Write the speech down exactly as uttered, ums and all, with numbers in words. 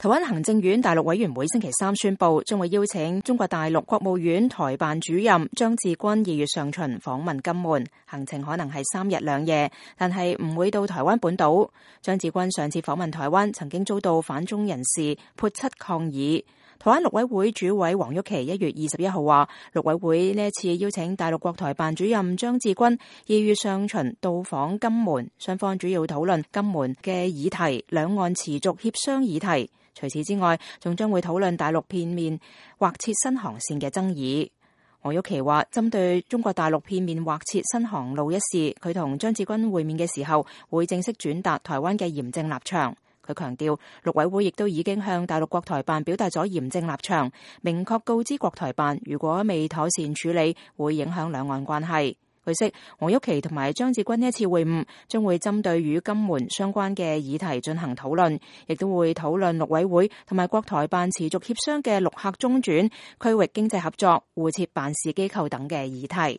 台灣行政院大陸委員會星期三宣布，將會邀請中國大陸國務院台辦主任張志軍二月上旬訪問金門，行程可能係三日兩夜，但係唔會到台灣本島。張志軍上次訪問台灣，曾經遭到反中人士潑漆抗議。台灣陸委會主委黃郁琪一月二十一號話，陸委會呢一次邀請大陸國台辦主任張志軍二月上旬到訪金門，雙方主要討論金門嘅議題、兩岸持續協商議題。除此之外，仲將會討論大陸片面劃設新航線嘅爭議。黃郁琪話，針對中國大陸片面劃設新航路一事，佢同張志軍會面嘅時候，會正式轉達台灣嘅嚴正立場。佢強調，陸委會亦都已經向大陸國台辦表達咗嚴正立場，明確告知國台辦，如果未妥善處理，會影響兩岸關係。據悉，黃郁琪同埋張志軍呢一次會晤將會針對與金門相關嘅議題進行討論，亦都會討論陸委會同埋國台辦持續協商嘅陸客中轉、區域經濟合作、互設辦事機構等嘅議題。